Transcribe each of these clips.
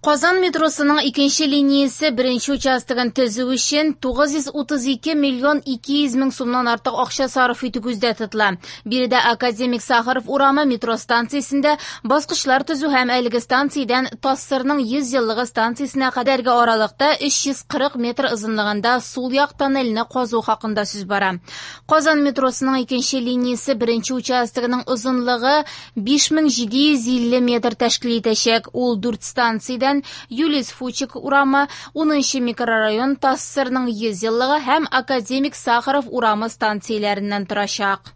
Казан метросының икенче линиясе беренче участогын төзү өчен 932 миллион 200 мең сумнан артык акча сарыф итү күздә тотыла. Биредә Академик Сахаров урамы метро станциясендә баскычлар төзү һәм әлеге станциядән ТАССРның 100 еллыгы станциясенә кадәрге аралыкта 340 метр озынлыгында сул як тоннельне казу хакында сүз бара. Казан метросының икенче линиясе беренче участогының озынлыгы 5750 метр тәшкил итәчәк. Ул дүрт станциядән Юлиус Фучик урамы, 10 микрорайон, ТАССРның 100 еллыгы һәм Академик Сахаров урамы станцияләреннән торачак.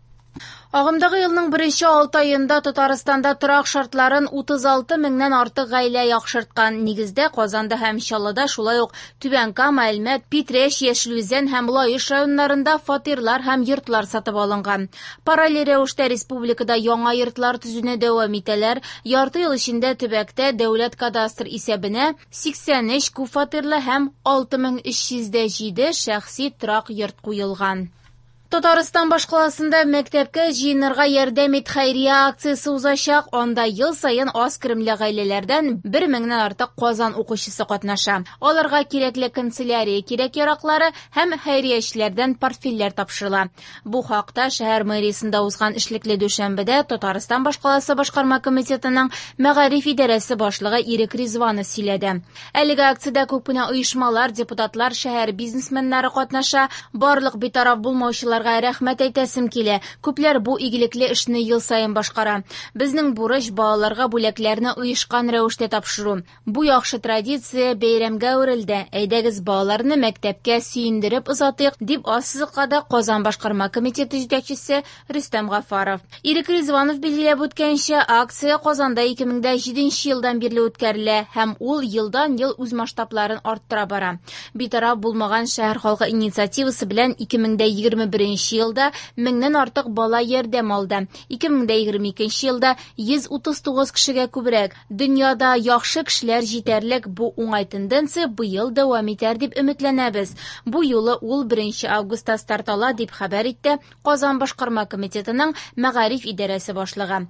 Агымдагы елның беренче 6 аенда Татарстанда торак шартларын 36 меңнән артык гаилә яхшырткан. Нигездә Казанда һәм Чаллыда, шулай ук Түбән Кама, Әлмәт, Питрәч, Яшел Үзән һәм Лаеш районнарында фатирлар һәм йортлар сатып алынган. Параллель рәвештә республикада яңа йортлар төзүне дәвам итәләр. Ярты ел эчендә төбәктә дәүләт кадастр исәбенә 83 күпфатирлы һәм 6307 шәхси торак йорт куелган. Татарстан башкаласында мәктәпкә җыенырга ярдәм ит хәйрия акциясе узачак. Анда ел саен аз керемле гаиләләрдән 1 меңнән артык Казан укучысы катнаша. Аларга кирәкле канцелярия кирәк-яраклары һәм хәйриячеләрдән портфельләр тапшырыла. Бу хакта шәһәр мэриясендә узган эшлекле дүшәмбедә Татарстан башкаласы башкарма комитетының мәгариф идарәсе башлыгы Ирек Ризванов сөйләде. Әлеге акциядә күп кенә оешмалар, депутатлар, шәһәр бизнесменнары катнаша. Барлык битараф булмаучыларга рәхмәт әйтәсем килә. Күпләр бу игелекле эшне ел саен башкара. Безнең бурыч балаларга бүләкләрне оешкан рәвештә тапшыру. Бу яхшы традиция бәйрәмгә әверелде. Әйдәгез балаларны мәктәпкә сөендереп озатыйк, дип ассызыклады Казан башкарма комитеты җитәкчесе Рөстәм Гафаров. Ирек Ризванов билгеләп үткәнчә, акция Казанда 2007 елдан бирле үткәрелә һәм ул елдан-ел үз масштабларын арттыра бара. Битараф булмаган шәһәр халкы инициативасы белән 2021 елда меңнән артык бала ярдәм алды. 2022 елда 139 кешегә күбрәк. Дөньяда яхшы кешеләр җитәрлек, бу уңай тенденция быел дәвам итәр дип өметләнәбез. Бу юлы ул 1 августта старт ала дип хәбәр итте Казан башкарма комитетының мәгариф идарәсе башлыгы.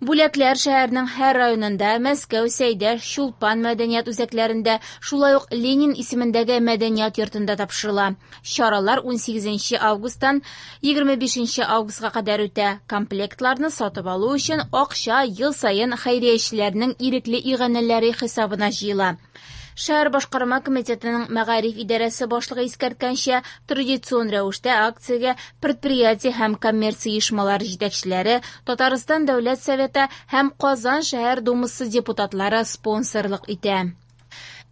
Бүләкләр шәһәрнең һәр районында, Мәскәү, Сәйдәш, Чулпан мәдәният үзәкләрендә, шулай ук Ленин исемендәге мәдәният йортында тапшырыла. Чаралар 18 августтан 25 августка кадәр үтә. Комплектларны сатып алу өчен акча ел саен хәйриячеләрнең ирекле иганәләре хисабына җыела. Шәһәр башкарма комитетының мәгариф идарәсе башлыгы искәрткәнчә, традицион рәвештә акциягә предприятие һәм коммерция оешмалары җитәкчеләре, Татарстан Дәүләт Советы һәм Казан шәһәр думасы депутатлары спонсорлык итә.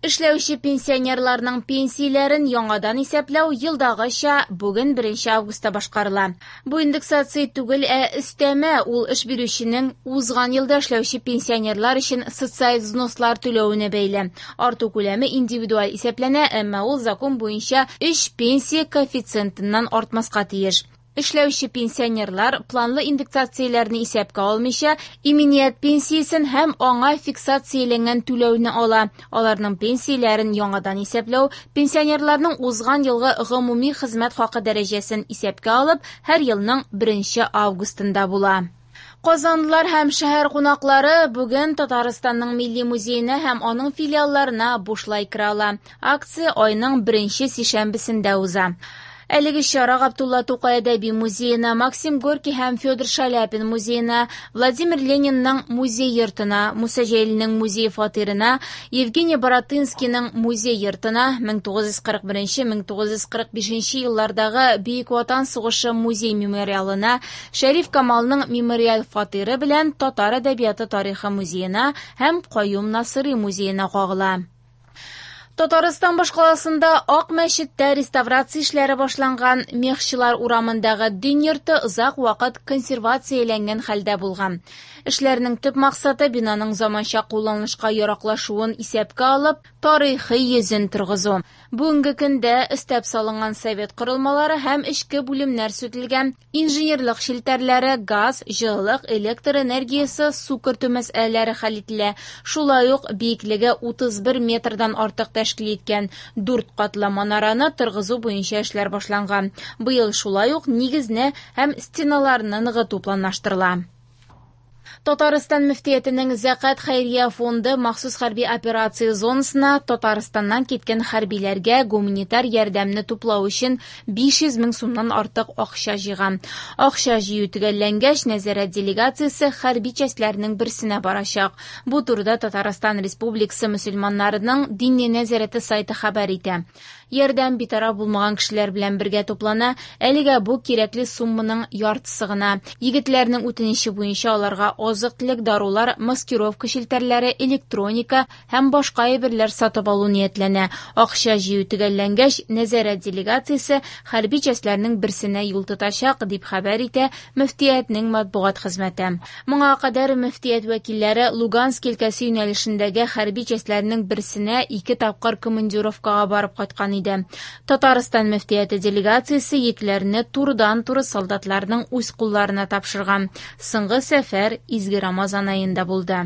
Эшләүче пенсионерларның пенсияләрен яңадан исәпләү елдагыча бүген 1 августта башкарыла. Бу индексация түгел, ә өстәмә, ул эш бирүченең узган елда эшләүче пенсионерлар өчен социаль взнослар түләвенә бәйле. Арту күләме индивидуаль исәпләнә, әмма ул закон буенча 3 пенсия коэффициентыннан артмаска тиеш. Эшләүче пенсионерлар планлы индексацияләрне исәпкә алмыйча, иминият пенсиясен һәм аңа фиксацияләнгән түләүне ала. Аларның пенсияләрен яңадан исәпләү пенсионерларның узган елгы гомуми хезмәт хакы дәрәҗәсен исәпкә алып, һәр елның 1 августында була. Казанлылар һәм шәһәр кунаклары бүген Татарстанның Милли музеена һәм аның филиалларына бушлай керә ала. Акция айның беренче сишәмбесендә уза. Әлеге чара Габдулла Тукай әдәби музеена, Максим Горький һәм Федор Шаляпин музеена, Владимир Ленинның музей йортына, Муса Җәлилнең музей фатирына, Евгений Баратынскийның музей йортына, 1941-1945 еллардагы Бөек Ватан сугышы музей мемориалына, Шәриф Камалның мемориаль фатиры белән Татар әдәбияты тарихы музеена һәм Каюм Насыйри музеена кагыла. Татарстан башкаласында Ак мәчеттә реставрация эшләре башланган. Мехчылар урамындагы дин йорты озак вакыт консервацияләнгән хәлдә булган. Эшләрнең төп максаты бинаның заманча кулланылышка яраклашуын исәпкә алып, тарихи йөзен торгызу. Бүгенге көндә өстәп салынган совет корылмалары һәм эчке бүлемнәр сүтелгән, инженерлык челтәрләре, газ, җылылык, электр энергиясе, су кертү мәсьәләләре хәл ителә. Шулай ук биеклеге 31 метрдан артык тәшкил иткән 4 катлы манараны торгызу буенча эшләр башланган. Быел шулай ук нигезне һәм стеналарны ныгыту планлаштырыла. Татарстан мөфтиятенең Зәкят хәйрия фонды махсус хәрби операция зонасына Татарстаннан киткән хәрбиләргә гуманитар ярдәмне туплау өчен 500 мең сумнан артык акча җыйган. Акча җыю төгәлләнгәч, нәзарәт делегациясе хәрби частьләрнең берсенә барачак. Бу турыда Татарстан Республикасы мөселманнарының Диния нәзарәте сайты хәбәр итә. Ярдәм битараф булмаган кешеләр белән бергә туплана, әлегә бу кирәкле сумманың яртысы гына. Егетләрнең үтенече буенча аларга азык-төлек, дарулар, маскировка челтәрләре, электроника һәм башка әйберләр сатып алу ниятләнә. Акча җыю төгәлләнгәч, нәзарәт делегациясе хәрби частьләрнең берсенә юл тотачак, дип хәбәр итә мөфтиятнең матбугат хезмәте. Моңа кадәр мөфтият вәкилләре Луганск өлкәсе юнәлешендәге хәрби частьләрнең берсенә ике тапкыр командировкага барып кайткан иде. Татарстан мөфтияте делегациясе йөкләрне турыдан-туры солдатларның үз кулларына тапшырган. Соңгы сәфәр изге Рамазан аенда булды.